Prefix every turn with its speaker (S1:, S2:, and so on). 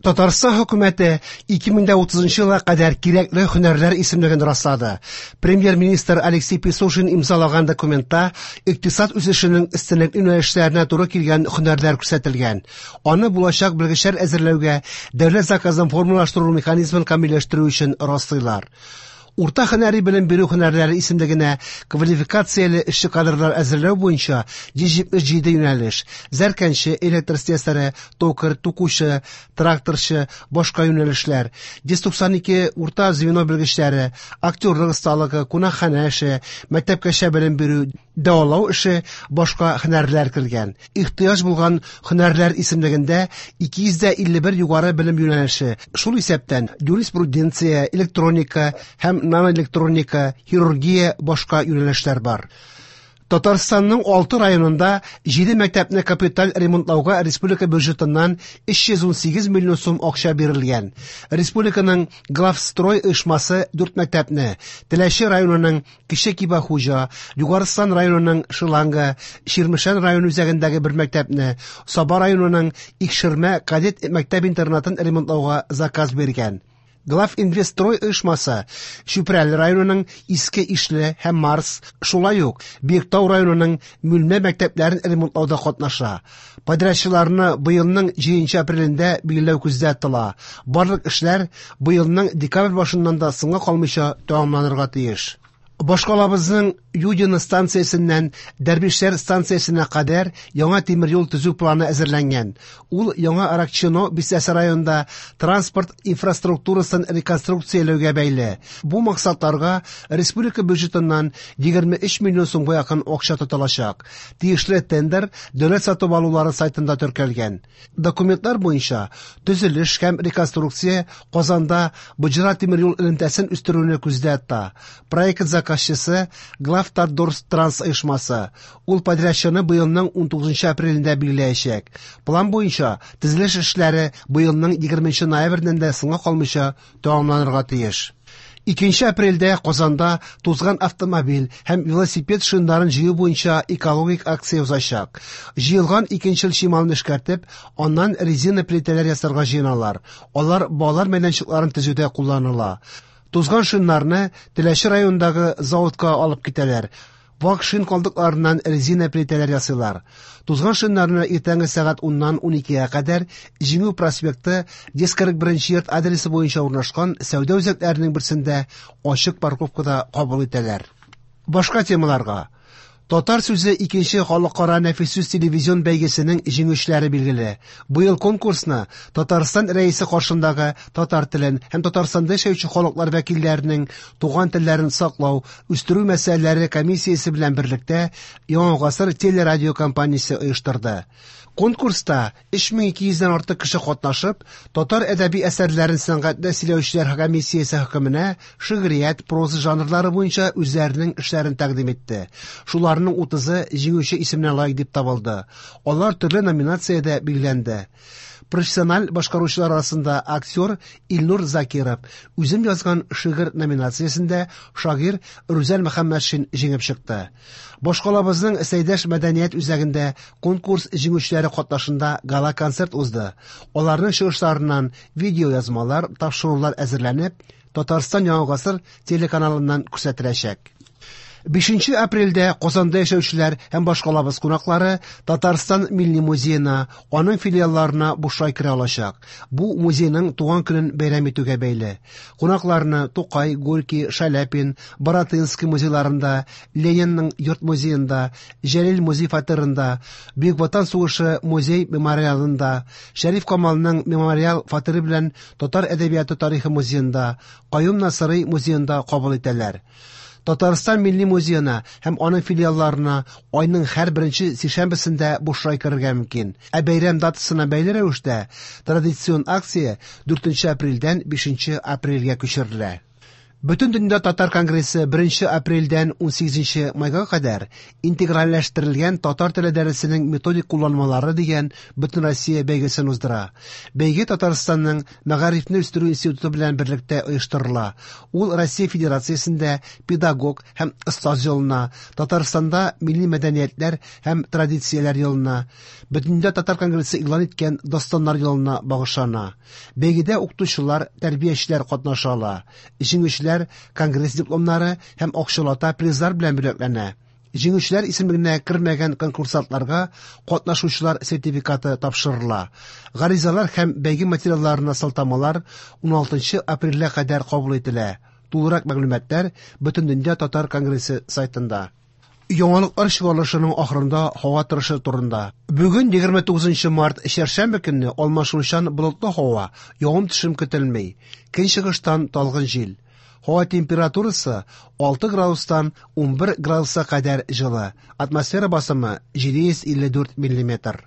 S1: Татарстан хөкүмәте 2030 елга кадәр кирәкле һөнәрләр исемлеген раслады. Премьер-министр Алексей Песошин имзалаган документта икътисад үсешенең өстенлекле юнәлешләренә туры килгән һөнәрләр күрсәтелгән. Аны булачак белгечләр әзерләүгә дәүләт заказын формалаштыру механизмын камилләштерү өчен раслыйлар. Урта һөнәри белем бирү һөнәрләре исемлегенә квалификацияле эшче кадрлар әзерләү буенча 177 юнәлеш: зәркәнче, электр слесаре, токарь, тукучы, тракторчы, башка юнәлешләр, 192 урта звено белгечләре, актерлык осталыгы, кунакханә эше, мәктәпкәчә белем бирү, дәвалау эше, башка һөнәрләр кергән. Ихтыяҗ булган һөнәрләр исемлегендә 251 югары белем юнәлеше, шул исәптән юриспруденция, электроника һәм наноэлектроника, хирургия, башка юнәлешләр бар. Татарстанның 6 районында 7 мәктәпне капиталь ремонтлауга республика бюджетыннан 318 миллион сум акча бирелгән. Республиканың Главстрой оешмасы 4 мәктәпне, Теләче районының Кече Кибәхуҗа, Югарыстан районының Шиланга, Чирмешән районы үзәгендәге бер мәктәпне, Саба районының Икшермә кадет мәктәп-интернатын ремонтлауга заказ биргән. Главинвестстрой оешмасы Чүпрәле районының Иске Ишле һәм Марс, шулай ук Биектау районының Мүлмә мәктәпләрен ремонтлауда катнаша. Подрядчыларны быелның 7 апрелендә билгеләү күздә тотыла. Барлык эшләр быелның декабрь башыннан да соңга калмыйча тәмамланырга тиеш. Башкалабызның Юдино станциясеннән Дәрвишләр станциясенә кадәр яңа тимер юл төзү планы әзерләнгән. Ул Яңа Аракчино бистәсе районында транспорт инфраструктурасын реконструкцияләүгә бәйле. Бу максатларга республика бюджетыннан 23 миллион сумга якын акча тотылачак. Тиешле тендер дәүләт сатып алулары сайтында теркәлгән. Документлар буенча, төзелеш һәм реконструкция Казанда Боҗра тимер юл элемтәсен үстерүне күздә тота. Проект заказчысы Главтатдортранс оешмасы. Ул подрядчыны быелның 19 апрелендә билгеләячәк. План буенча, төзелеш эшләре быелның 20 ноябреннән дә соңга калмыйча тәмамланырга тиеш. 2 апрельдә Казанда тузган автомобиль һәм велосипед шиннарын җыю буенча экологик акция узачак. Җыелган икенчел чималны эшкәртеп, аннан резина плитәләр ясарга җыеналар. Алар балалар мәйданчыкларын төзүдә кулланыла. Тузган шиннарны Теләче районындагы заводка алып китәләр. Вак шин калдыкларыннан резина плитәләр ясыйлар. Тузган шиннарны иртәнге сәгать 10-нан 12-гә кадәр Җиңү проспекты 141 йорт адресы буенча урнашкан сәүдә үзәкләренең берсендә ачык парковкада кабул итәләр. Башка темаларга. Татар сүзе икенче халыкара нәфис сүз телевизион бәйгесенең җиңүчеләре билгеле. Быел конкурсны Татарстан Рәисе каршындагы татар телен һәм Татарстанда яшәүче халыклар вәкилләренең туган телләрен саклау, үстерү мәсьәләләре комиссиясе белән берлектә Яңа гасыр телерадиокомпаниясе оештырды. Конкурста 3200 дән артык кеше катнашып, татар әдәби әсәрләрен сәнгатьле сөйләүчеләр комиссиясе хөкеменә шигърият, проза жанрлары буенча үзләренең эшләрен тәкъдим итте. Шуларның 30-ы җиңүче исеменә лаек дип табылды. Алар төрле номинациядә билгеләнде. Профессиональ башкаручылар арасында актер Илнур Закиров, Үзем язган шигырь номинациясендә шагыйрь Рүзәл Мөхәммәтшин җиңеп чыкты. Башкалабызның Сәйдәш мәдәният үзәгендә конкурс җиңүчеләре катнашында гала-концерт узды. Аларның чыгышларыннан видеоязмалар, тапшырулар әзерләнеп, Татарстан Яңа гасыр телеканалыннан күрсәтеләчәк. 5 апрельдә Казанда яшәүчеләр һәм башкалабыз кунаклары Татарстан Милли музеена, аның филиалларына бушлай керә алачак. Бу музейның туган көнен бәйрәм итүгә бәйле. Кунакларны Тукай, Горький, Шаляпин, Баратынский музейларында, Ленинның йорт музеенда, Җәлил музей фатирында, Бөек Ватан сугышы музей мемориалында, Шәриф Камалның мемориал фатиры белән Татар әдәбияты тарихы музеенда, Каюм Насыйри музеенда кабул итәләр. Татарстан Милли музеена һәм аның филиалларына айның һәр беренче сишәмбесендә бушлай керергә мөмкин. Ә бәйрәм датасына бәйле рәвештә традицион акция 4 апрельдән 5 апрельгә күчерелә. Бөтендөнья татар конгрессы 1 апрельдән 18 майга кадәр «Интегральләштерелгән татар теле дәресенең методик кулланмалары» дигән Бөтенроссия бәйгесен уздыра. Бәйге Татарстанның Мәгарифне үстерү институты белән берлектә оештырыла. Ул Россия Федерациясендә педагог һәм остаз елына, Татарстанда милли мәдәниятләр һәм традицияләр елына, Бөтендөнья татар конгрессы игълан иткән Дастаннар елына багышлана. Бәйгедә укытучылар, тәрбиячеләр катнаша ала. Җиңүчеләр конгресс дипломнары һәм акчалата призлар белән бүләкләнә. Җиңүчеләр исемлегенә кермәгән конкурсантларга катнашучылар сертификаты тапшырыла. Гаризалар һәм бәйге материалларына сылтамалар 16 апрельгә кадәр кабул ителә. Тулырак мәгълүматлар Бөтендөнья татар конгрессы сайтында. Яңалыклар чыгарылышының ахырында һава торышы турында. Бүген 29 март чәршәмбе көнне алмашынучан болытлы һава, явым-төшем көтелми. Көнчыгыштан талгын җил. Һава температурасы 6 градустан 11 градуска кадәр җылы. Атмосфера басымы 754 миллиметр.